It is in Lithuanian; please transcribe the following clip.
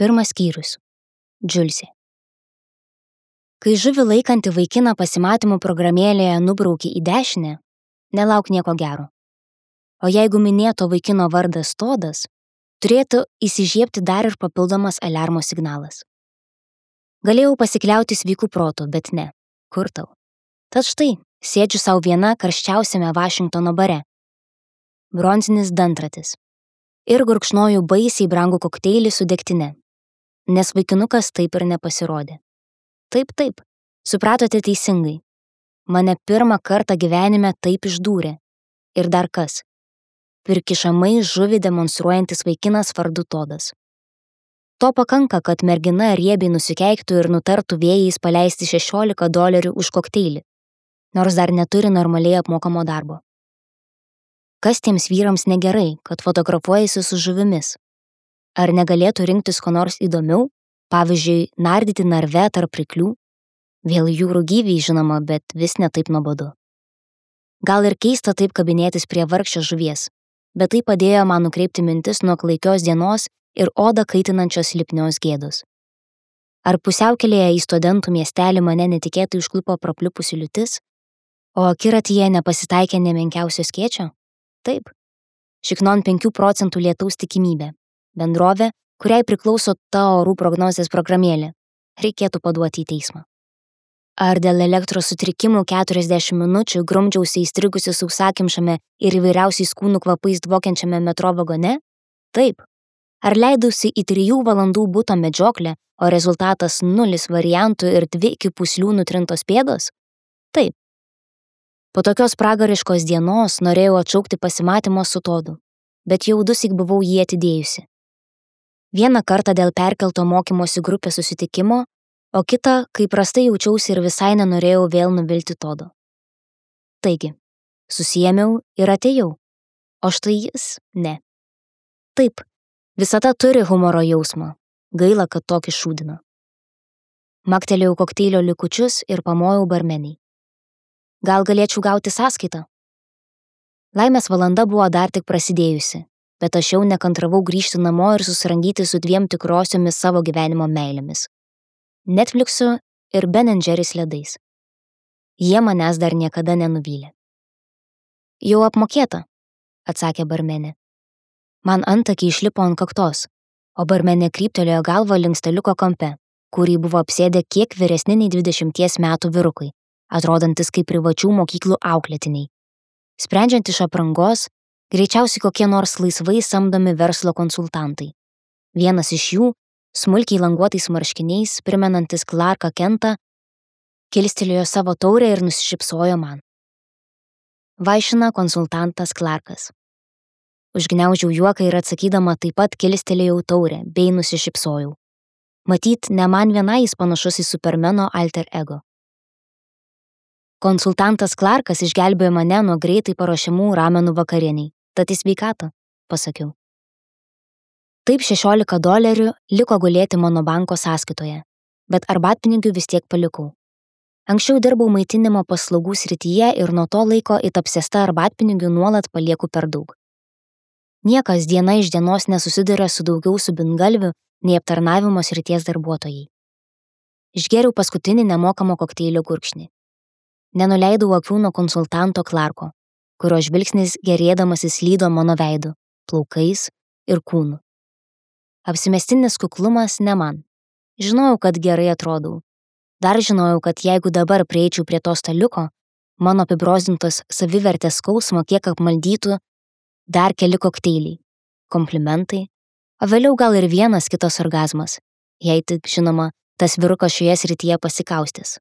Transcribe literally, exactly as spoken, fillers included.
Pirmas skyrius. Džiulsė. Kai žuvį laikantį vaikiną pasimatymų programėlėje nubrauki į dešinę, nelauk nieko gero. O jeigu minėto vaikino vardas Todas, turėtų įsižiebti dar ir papildomas aliarmo signalas. Galėjau pasikliauti sveiku protu, bet ne. Kur tau? Tad štai, sėdžiu savo viena karščiausiame Vašingtono bare. Bronzinis dantratis. Ir gurkšnoju baisiai brangų kokteilį su degtine. Nes vaikinukas taip ir nepasirodė. Taip, taip, supratote teisingai. Mane pirmą kartą gyvenime taip išdūrė. Ir dar kas? Pirkišamai žuvį demonstruojantis vaikinas vardu Todas. To pakanka, kad mergina riebiai nusikeiktų ir nutartų vėjais paleisti šešiolika dolerių už kokteilį, nors dar neturi normaliai apmokamo darbo. Kas tiems vyrams negerai, kad fotografuojasi su žuvimis? Ar negalėtų rinktis ko nors įdomiau, pavyzdžiui, nardyti narve tarp ryklių? Vėl jūrų gyviai žinoma, bet vis ne taip nuobodu. Gal ir keista taip kabinėtis prie vargšės žuvies, bet tai padėjo man nukreipti mintis nuo klaikios dienos ir odą kaitinančios lipnios gėdos. Ar pusiaukelėje į studentų miestelį mane netikėtai užklupo prapliupusi liūtis, o akiratyje nepasitaikė nemenkiausio skėčio? Taip. Šiknon penkių procentų lietaus tikimybė. Bendrovė, kuriai priklauso ta orų prognozės programėlė. Reikėtų paduoti į teismą. Ar dėl elektros sutrikimų keturiasdešimt minučių grumdžiausi įstrigusi sausakimšame ir įvairiausiais kūnų kvapais dvokiančiame metro vagone? Taip. Ar leidausi į trijų valandų buto medžioklę, o rezultatas nulis variantų ir dvi iki puslių nutrintos pėdos? Taip. Po tokios pragariškos dienos norėjau atšaukti pasimatymo su Todu, bet jau dusyk buvau jį atidėjusi. Vieną kartą dėl perkelto mokymosi grupės susitikimo, o kitą, kai prastai jaučiausi ir visai nenorėjau vėl nuvilti Todo. Taigi, susiėmiau ir atėjau, o štai jis ne. Taip, visata turi humoro jausmą, gaila, kad tokį šūdino. Maktelėjau kokteilio likučius ir pamojau barmeniai. Gal galėčiau gauti sąskaitą? Laimės valanda buvo dar tik prasidėjusi, bet aš jau nekantravau grįžti namo ir susirangyti su dviem tikrosiomis savo gyvenimo meilėmis. Netflixu ir Ben and Jerry's ledais. Jie manęs dar niekada nenuvylė. Jau apmokėta, atsakė barmenė. Man antakiai išlipo ant kaktos, o barmenė kryptelėjo galvą link staliuko kampe, kurį buvo apsėdę kiek vyresni nei dvidešimties metų vyrukai, atrodantis kaip privačių mokyklų auklėtiniai. Sprendžiant iš aprangos, greičiausiai kokie nors laisvai samdomi verslo konsultantai. Vienas iš jų, smulkiai languotais marškiniais, primenantis Clarką Kentą, kilstelėjo savo taurę ir nusišypsojo man. Vaišina konsultantas Clarkas. Užgniaužiau juoką ir atsakydama taip pat kilstelėjau taurę bei nusišypsojau. Matyt, ne man vienai jis panašus į Supermano alter ego. Konsultantas Clarkas išgelbėjo mane nuo greitai paruošiamų ramenų vakarieniai. Tad į sveikatą, pasakiau. Taip šešiolika dolerių liko gulėti mano banko sąskaitoje, bet arbatpinigių vis tiek palikau. Anksčiau dirbau maitinimo paslaugų srityje ir nuo to laiko it apsėsta arbatpinigių nuolat palieku per daug. Niekas diena iš dienos nesusiduria su daugiau subingalvių nei aptarnavimo srities darbuotojai. Išgėriau paskutinį nemokamo kokteilio gurkšnį. Nenuleidau akių nuo konsultanto Clarko, kurio žvilgsnis gerėdamasis slydo mano veidu, plaukais ir kūnu. Apsimestinis kuklumas ne man. Žinojau, kad gerai atrodau. Dar žinojau, kad jeigu dabar prieičiau prie to staliuko, mano apibrozdintos savivertės skausmo kiek apmaldytų dar keli kokteiliai, komplimentai, o vėliau gal ir vienas kitas orgazmas, jei tik, žinoma, tas vyrukas šioje srityje pasikaustys.